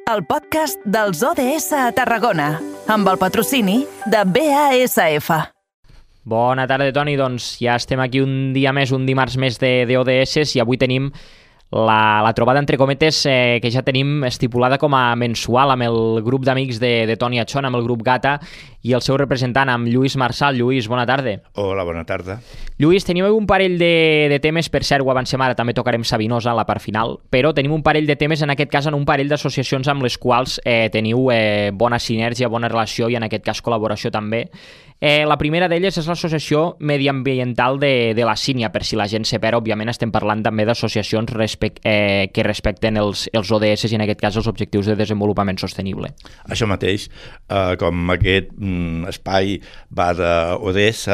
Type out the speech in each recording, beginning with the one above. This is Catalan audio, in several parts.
el podcast dels ODS a Tarragona, amb el patrocini de BASF. Bona tarda, Toni. Doncs ja estem aquí un dia més, un dimarts més d'ODS i avui tenim la trobada entre cometes que ja tenim estipulada com a mensual amb el grup d'amics de Toni Achón, amb el grup Gata i el seu representant, amb Lluís Marçal. Lluís, bona tarda. Hola, bona tarda. Lluís, tenim un parell de temes, per cert, ho avancem ara, també tocarem Sabinosa a la part final, però tenim un parell de temes, en aquest cas en un parell d'associacions amb les quals teniu bona sinergia, bona relació i en aquest cas col·laboració també. La primera d'elles és l'Associació Mediambiental de la Sínia. Per si la gent se perd, òbviament estem parlant també d'associacions que respecten els ODS i en aquest cas els Objectius de Desenvolupament Sostenible. Això mateix, com aquest espai va d'ODS,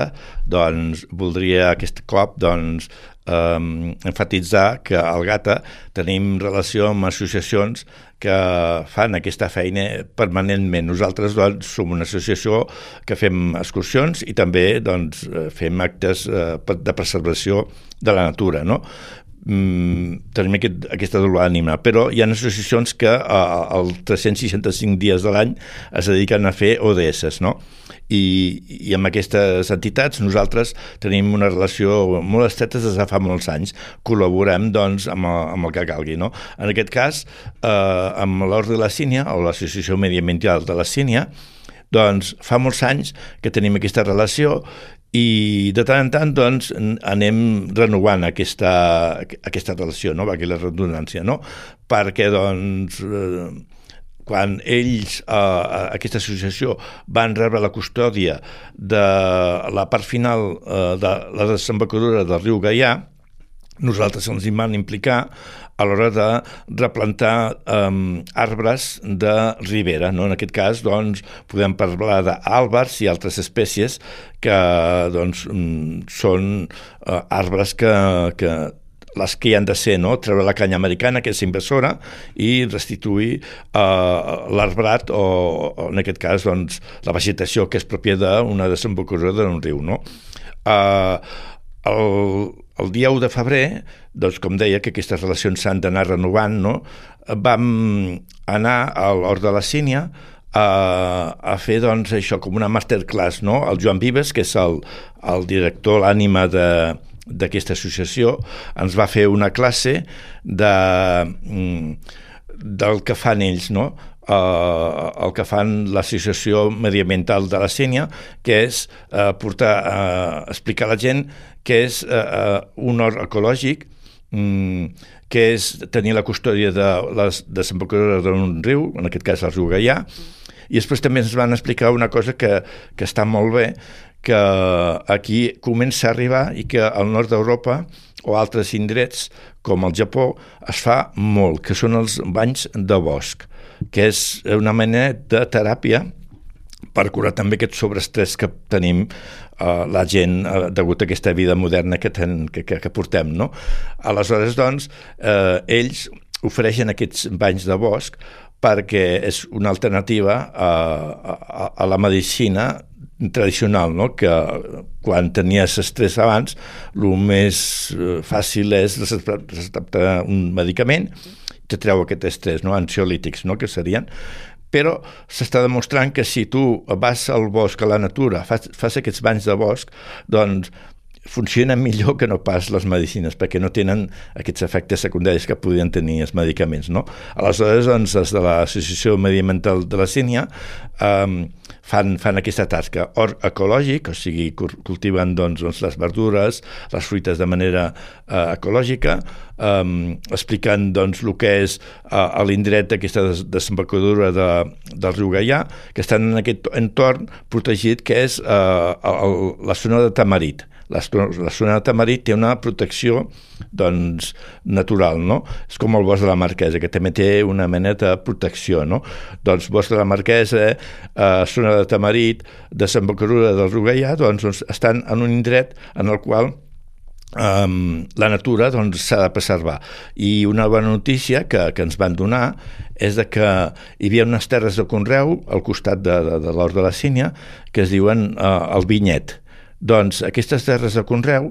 doncs voldria aquest cop enfatitzar que al Gata tenim relació amb associacions que fan aquesta feina permanentment. Nosaltres som una associació que fem excursions i també fem actes de preservació de la natura, no? Tenim aquesta doble ànima, però hi ha associacions que els 365 dies de l'any es dediquen a fer ODS, no? I amb aquestes entitats nosaltres tenim una relació molt estreta des de fa molts anys. Col·laborem amb el que calgui, no? En aquest cas, amb l'Ordre de la Sínia, o l'Associació Mediambiental de la Sínia, doncs fa molts anys que tenim aquesta relació i de tant en tant anem renovant aquesta relació, no? Aquí la redundància, no? Perquè quan ells, aquesta associació, van rebre la custòdia de la part final de la desembocadura del riu Gaià, nosaltres ens hi vam implicar a l'hora de replantar arbres de ribera, no? En aquest cas, podem parlar d'àlbers i altres espècies que són arbres que les que hi han de ser, no? Treure la canya americana, que és invasora, i restituir l'arbrat o, en aquest cas, la vegetació que és pròpia d'una desembocadura d'un riu, no? El dia 1 de febrer, com deia, que aquestes relacions s'han d'anar renovant, no? Vam anar a l'Hort de la Sínia a fer això com una masterclass, no? El Joan Vives, que és el director, l'ànima d'aquesta associació, ens va fer una classe del que fan ells, no? El que fan l'Associació Mediambiental de la Sínia, que és explicar a la gent què és un hort ecològic, què és tenir la custòdia de les desembocadures d'un riu, en aquest cas el riu Gaià, i després també ens van explicar una cosa que està molt bé, que aquí comença a arribar i que al nord d'Europa o altres indrets, com el Japó, es fa molt, que són els banys de bosc, que és una mena de teràpia per curar també aquest sobreestrès que tenim la gent degut a aquesta vida moderna que portem, no? Aleshores, ells ofereixen aquests banys de bosc perquè és una alternativa a la medicina tradicional, no? Que quan tenies estrès abans, el més fàcil és receptar un medicament que treu aquest estrès, no? Ansiolítics, no? Que serien. Però s'està demostrant que si tu vas al bosc, a la natura, fas aquests banys de bosc, funcionen millor que no pas les medicines, perquè no tenen aquests efectes secundaris que podien tenir els medicaments, no? Aleshores, des de l'Associació Mediambiental de la Sínia fan aquesta tasca. Hort ecològic, o sigui, cultiven les verdures, les fruites de manera ecològica, explicant el que és a l'indret d'aquesta desembocadura del riu Gaià, que estan en aquest entorn protegit, que és la zona de Tamarit. La zona de Tamarit té una protecció natural, no? És com el bosc de la Marquesa, que també té una mena de protecció, no? Bosc de la Marquesa, zona de Tamarit, desembocadura del riu Gaià, estan en un indret en el qual la natura s'ha de preservar. I una bona notícia que ens van donar és que hi havia unes terres de conreu al costat de l'Hort de la Sínia que es diuen el Vinyet. Aquestes terres de conreu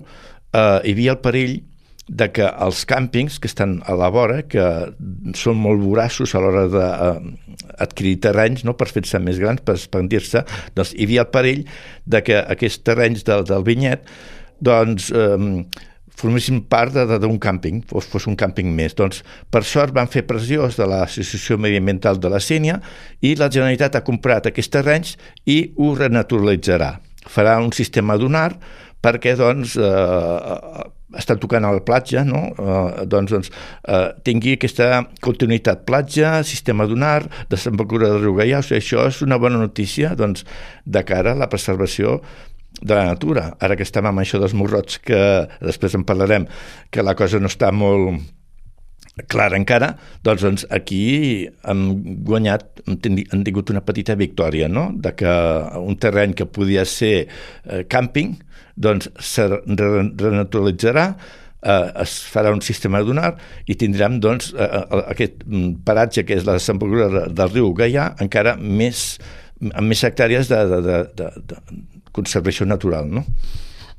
hi havia el perill de que els càmpings que estan a la vora, que són molt voraços a l'hora d'adquirir terrenys, no, per fer-se més grans, per expandir-se, doncs hi havia el perill de que aquests terrenys del vinyet doncs, formessin part d'un càmping, fos un càmping més. Doncs, per sort, van fer pressió de l'Associació Mediambiental de la Sénia i la Generalitat ha comprat aquests terrenys i ho renaturalitzarà. Farà un sistema dunar perquè, doncs, estan tocant a la platja, no? Tingui aquesta continuïtat platja, sistema dunar, desembocadura del riu Gaià. O sigui, això és una bona notícia, doncs, de cara a la preservació de la natura. Ara que estem amb això dels morrots, que després en parlarem, que la cosa no està molt clara encara, doncs aquí han guanyat, han tingut una petita victòria, no? De que un terreny que podia ser càmping, doncs se renaturalitzarà, es farà un sistema dunar i tindrem, doncs, aquest paratge que és la desembocadura del riu Gaià encara amb més hectàrees de conservació natural, no?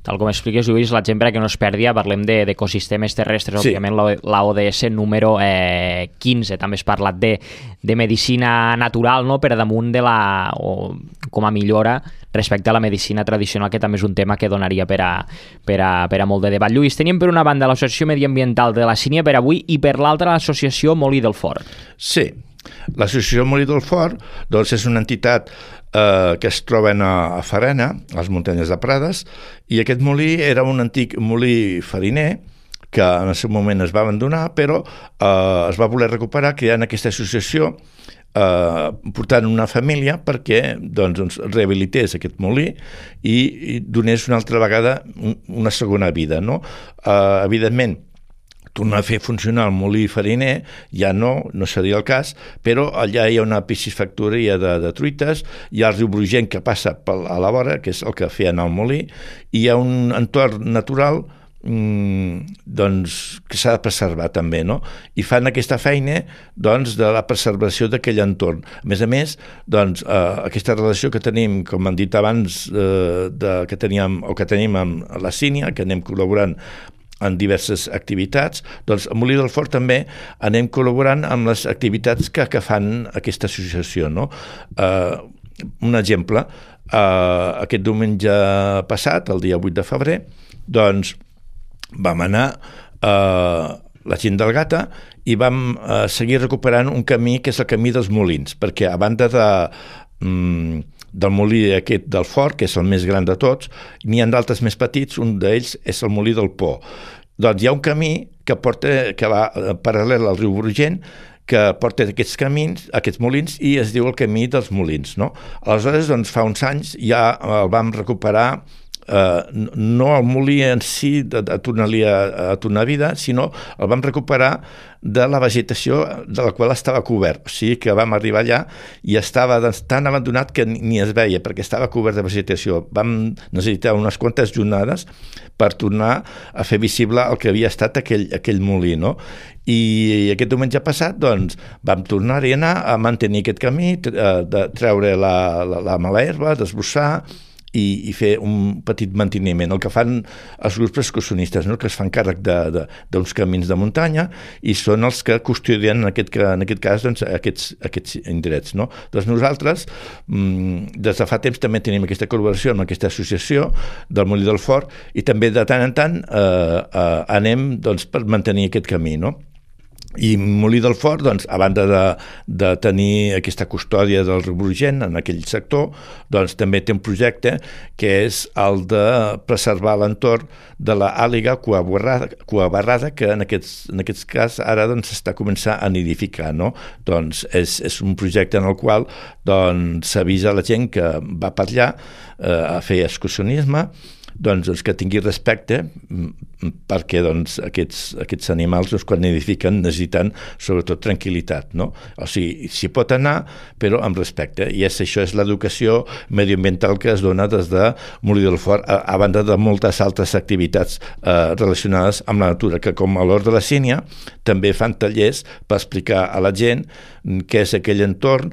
Tal com expliques, Lluís, la gent, perquè no es perdi, parlem d'ecosistemes terrestres, sí. Òbviament la ODS número 15, també has parlat de medicina natural, no? Per damunt o com a millora respecte a la medicina tradicional, que també és un tema que donaria per a molt de debat. Lluís, teníem per una banda l'Associació Mediambiental de la Sínia per avui i per l'altra l'Associació Molí del Fort. Sí, l'Associació Molí del Fort doncs és una entitat que es troben a Farena, a les muntanyes de Prades, i aquest molí era un antic molí fariner que en el seu moment es va abandonar, però es va voler recuperar creant aquesta associació, portant una família perquè doncs, rehabilités aquest molí i donés una altra vegada una segona vida, no? Evidentment, tornar a fer funcionar el molí fariner ja no seria el cas, però allà hi ha una piscifactoria de truites, hi ha el riu Brugent que passa a la vora, que és el que feien al molí, i hi ha un entorn natural doncs, que s'ha de preservar també, no? I fan aquesta feina doncs, de la preservació d'aquell entorn. A més, doncs, aquesta relació que tenim, com han dit abans, que tenim amb la Sínia, que anem col·laborant en diverses activitats, doncs a Molí del Fort també anem col·laborant amb les activitats que fan aquesta associació, no? Un exemple, aquest diumenge passat, el dia 8 de febrer, doncs vam anar la gent del Gata i vam seguir recuperant un camí que és el camí dels Molins, perquè a banda del molí aquest del Fort, que és el més gran de tots, n'hi ha d'altres més petits, un d'ells és el molí del Po. Doncs hi ha un camí que va paral·lel al riu Brugent, que porta aquests camins, aquests molins, i es diu el camí dels Molins, no? Aleshores, doncs, fa uns anys ja el vam recuperar, no el molí en si a tornar vida, sinó el vam recuperar de la vegetació de la qual estava cobert. O sigui que vam arribar allà i estava tan abandonat que ni es veia, perquè estava cobert de vegetació. Vam necessitar unes quantes jornades per tornar a fer visible el que havia estat aquell molí, no? I aquest diumenge passat, doncs, vam tornar-hi a anar a mantenir aquest camí, de treure la mala herba, desbrossar i fer un petit manteniment, el que fan els grups excursionistes, no? Que es fan càrrec d'uns camins de muntanya i són els que custodien en aquest cas doncs, aquests indrets, no? Doncs nosaltres des de fa temps també tenim aquesta col·laboració amb aquesta associació del Molí del Fort i també de tant en tant anem doncs, per mantenir aquest camí, no? I Molí del Fort, doncs, a banda de tenir aquesta custòdia del riu Brugent en aquell sector, doncs també té un projecte que és el de preservar l'entorn de l'àliga cuabarrada, que en aquest cas ara doncs, s'està començant a nidificar, no? Doncs és un projecte en el qual doncs, s'avisa la gent que va per allà a fer excursionisme, doncs que tingui respecte perquè doncs, aquests animals doncs, quan nidifiquen necessiten sobretot tranquil·litat, no? O sigui, s'hi pot anar però amb respecte, i això és l'educació medioambiental que es dona des de Molí del Fort, a banda de moltes altres activitats relacionades amb la natura, que com a l'Hort de la Sínia també fan tallers per explicar a la gent què és aquell entorn,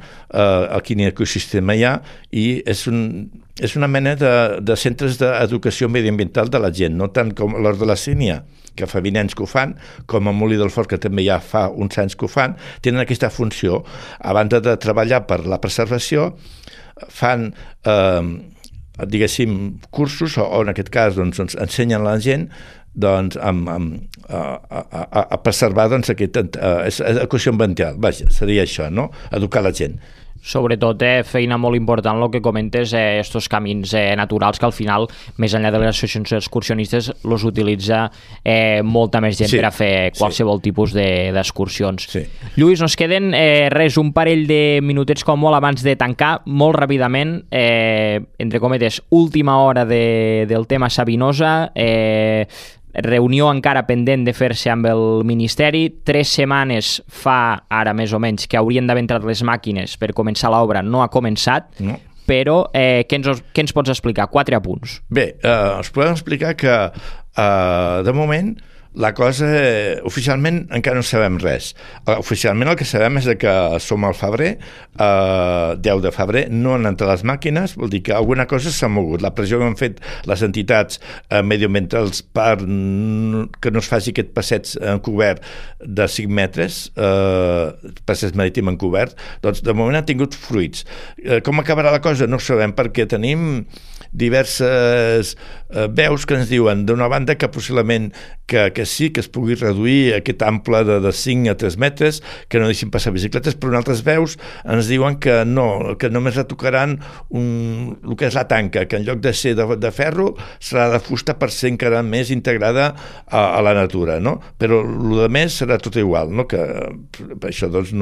quin ecosistema hi ha, i és una mena de centres d'educació medioambiental de la gent, no tant com l'Hort de la Sínia, que fa 20 anys que ho fan, com a Molí del Fort, que també ja fa uns anys que ho fan, tenen aquesta funció. A banda de treballar per la preservació, fan, diguéssim, cursos, o en aquest cas doncs, ensenyen a la gent doncs, a preservar doncs, aquesta equació ambiental. Vaja, seria això, no? Educar la gent. Sobretot feina molt important el que comentes, estos camins naturals que al final, més enllà de les associacions excursionistes, los utilitza molta més gent per a fer qualsevol tipus d'excursions. Sí. Lluís, nos queden un parell de minutets com molt abans de tancar, molt ràpidament, entre cometes, última hora del tema Sabinosa, reunió encara pendent de fer-se amb el Ministeri. 3 setmanes fa, ara més o menys, que haurien d'haver entrat les màquines per començar l'obra, no ha començat, però què ens pots explicar? 4 apunts. Bé, us podem explicar que de moment la cosa, oficialment encara no sabem res. Oficialment el que sabem és que som al febrer, 10 de febrer, no han entrat les màquines, vol dir que alguna cosa s'ha mogut. La pressió que han fet les entitats medioambientals per que no es faci aquest passeig encobert de 5 metres, passeig marítim encobert, doncs de moment han tingut fruits. Com acabarà la cosa? No ho sabem, perquè tenim diverses veus que ens diuen, d'una banda, que possiblement que sí, que es pugui reduir aquest ample de 5 a 3 metres, que no deixin passar bicicletes, però en altres veus ens diuen que no, que només retocaran el que és la tanca, que en lloc de ser de ferro serà de fusta per ser encara més integrada a la natura, no? Però el de més serà tot igual, no? Que això doncs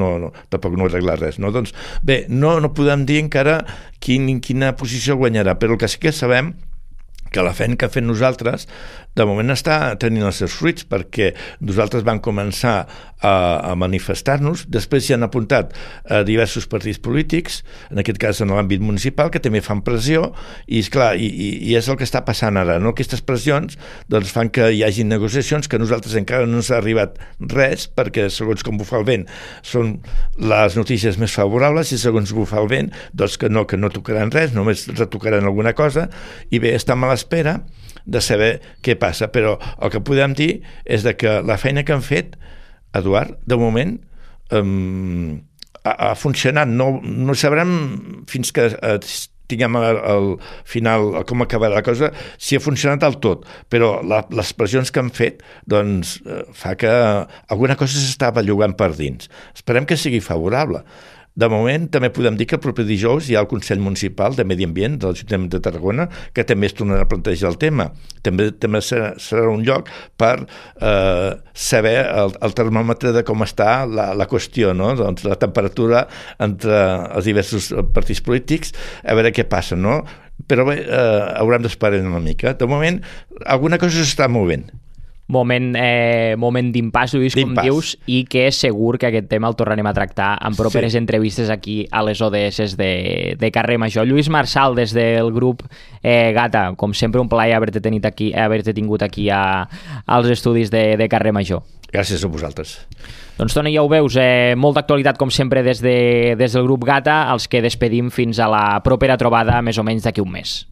tampoc no arregla res, no? Doncs bé, no podem dir encara quina posició guanyarà, però el que sí que sabem que la feina que fem nosaltres de moment està tenint els seus fruits, perquè nosaltres vam començar a manifestar-nos, després s'hi han apuntat diversos partits polítics, en aquest cas en l'àmbit municipal, que també fan pressió, i esclar, i és el que està passant ara, no? Aquestes pressions doncs, fan que hi hagi negociacions que a nosaltres encara no ens ha arribat res, perquè segons com bufa el vent són les notícies més favorables, i segons bufa el vent doncs que no tocaran res, només retocaran alguna cosa, i bé, estem a l'espera de saber què passa, però el que podem dir és que la feina que han fet, Eduard, de moment ha funcionat. No sabrem fins que tinguem al final com acabarà la cosa, si ha funcionat del tot, però les pressions que han fet doncs fa que alguna cosa s'està bellugant per dins. Esperem que sigui favorable. De moment, també podem dir que el proper dijous hi ha el Consell Municipal de Medi Ambient de l'Ajuntament de Tarragona, que també es tornarà a plantejar el tema. També serà un lloc per saber el termòmetre de com està la qüestió, no? Doncs la temperatura entre els diversos partits polítics, a veure què passa, no? Però bé, haurem d'esperar una mica. De moment, alguna cosa s'està movent. Moment d'impàs, Lluís, com dius, i que és segur que aquest tema el tornarem a tractar en properes entrevistes aquí a les ODS de Carrer Major. Lluís Marsal, des del grup Gata, com sempre un plaer haver-te tingut aquí als estudis de Carrer Major. Gràcies a vosaltres. Doncs, Toni, ja ho veus, molta actualitat, com sempre, des del grup Gata, els que despedim fins a la propera trobada, més o menys d'aquí un mes.